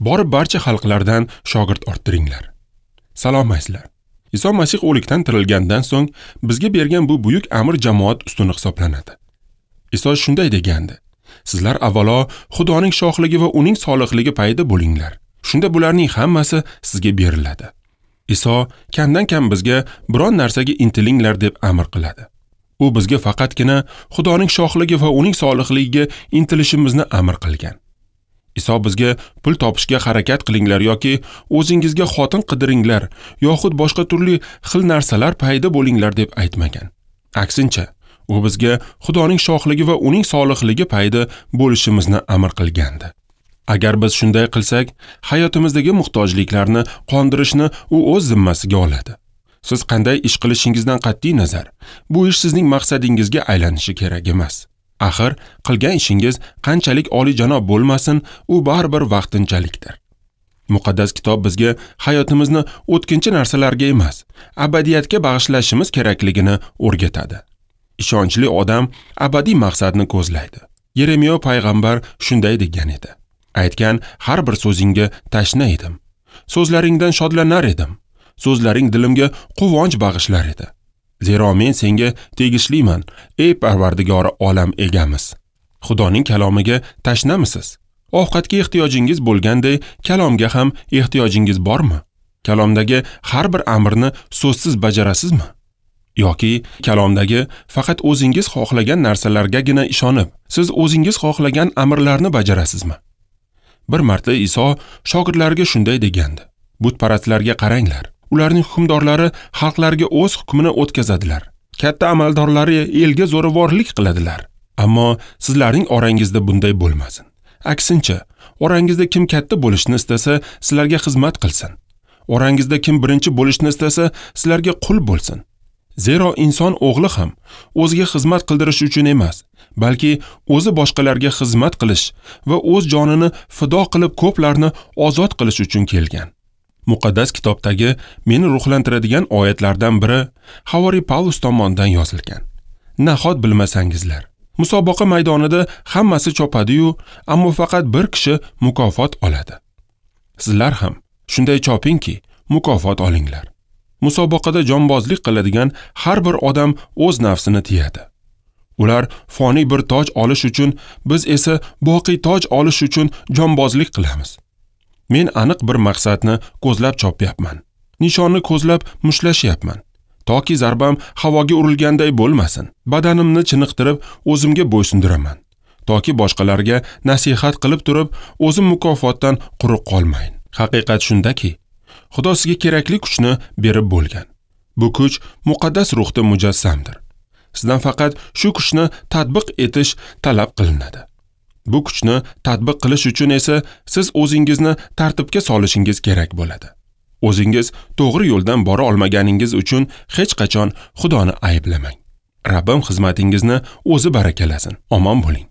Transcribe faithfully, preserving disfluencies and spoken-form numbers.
Borib barcha xalqlardan shogird orttiringlar. Salom azizlar. Iso Masih o'likdan tirilgandan so'ng bizga bergan bu buyuk amr jamoat ustuni hisoblanadi. Iso shunday degandi: Sizlar avvalo Xudoning shohligi va uning solihligi payida bo'linglar. Shunda bularning hammasi sizga beriladi. Iso kamdan kam bizga biron narsaga intilinglar deb amr qiladi. U bizga faqatgina Xudoning shohligi va uning solihligiga intilishimizni amr qilgan. Iso bizga pul topishga harakat qilinglar yoki o'zingizga xotin qidiringlar yoxud boshqa turli xil narsalar payda bo'linglar deb aytmagan. Aksincha, u bizga Xudoning shohligi va uning solihligi payda bo'lishimizni amr qilgandi. Agar biz shunday qilsak, hayotimizdagi muhtojliklarni qondirishni u o'z zimmasiga oladi. Siz qanday ish qilishingizdan qat'iy nazar, bu ish sizning maqsadingizga aylanishi kerak emas. Axir, qilgan ishingiz qanchalik oliyjanob bo'lmasin, u baribir vaqtinchalikdir. Muqaddas kitob bizga hayotimizni o'tkinchi narsalarga emas, abadiyatga bag'ishlashimiz kerakligini o'rgatadi. Ishonchli odam abadiy maqsadni ko'zlaydi. Yeremiya payg'ambar shunday degan edi: Aytgan har bir so'zingga tashna edim. So'zlaringdan shodlanar edim. So'zlaring dilimga quvonch bag'ishlar edi. Zero men senga tegishliman, ey Parvardigori olam egamiz. Xudoning kalomiga tashnamisiz? Ovqatga ehtiyojingiz bo'lganday kalomga ham ehtiyojingiz bormi? Kalomdagi har bir amrni so'zsiz bajarasizmi? Yoki kalomdagi faqat o'zingiz xohlagan narsalargagina ishonib, siz o'zingiz xohlagan amrlarni bajarasizmi? Bir marta Iso shogirdlariga shunday degandi: Butparastlarga qaranglar. Ularning hukmdorlari xalqlarga o'z hukmini o'tkazadilar. Katta amaldorlari elga zo'ravorlik qiladilar. Ammo sizlarning orangizda bunday bo'lmasin. Aksincha, orangizda kim katta bo'lishni istasa, sizlarga xizmat qilsin. Orangizda kim birinchi bo'lishni istasa, sizlarga qul bo'lsin. Zero inson o'g'li ham o'ziga xizmat qildirish uchun emas, balki o'zi boshqalarga xizmat qilish va o'z jonini fido qilib ko'plarni ozod qilish uchun kelgan. Muqaddas kitobdagi meni ruhlantiradigan oyatlardan biri Havoriy Pavlus tomonidan yozilgan. Nahot bilmasangizlar, musobaqa maydonida hammasi chopadi-yu, ammo faqat bir kishi mukofot oladi. Sizlar ham shunday chopingki, mukofot olinglar. Musobaqada jonbozlik qiladigan har bir odam o'z nafsini tiyadi. Ular foniy bir toj olish uchun, biz esa boqiy toj olish uchun jonbozlik qilamiz. Men aniq bir maqsadni ko'zlab chopyapman. Nishonni ko'zlab mushtlashyapman. Toki zarbam havoga urilganday bo'lmasin. Badanimni chiniqtirib o'zimga bo'ysundiraman. Toki boshqalarga nasihat qilib turib, o'zim mukofotdan quruq qolmayin. Haqiqat shundaki, Xudo sizga kerakli kuchni berib bo'lgan. Bu kuch muqaddas ruhda mujassamdir. Sizdan faqat shu kuchni tatbiq etish talab qilinadi. Bu kuchni tatbiq qilish uchun esa siz o'zingizni tartibga solishingiz kerak bo'ladi. O'zingiz to'g'ri yo'ldan bora olmaganingiz uchun hech qachon Xudoni ayblamang. Rabbim xizmatingizni o'zi barakalasin. Omon bo'ling.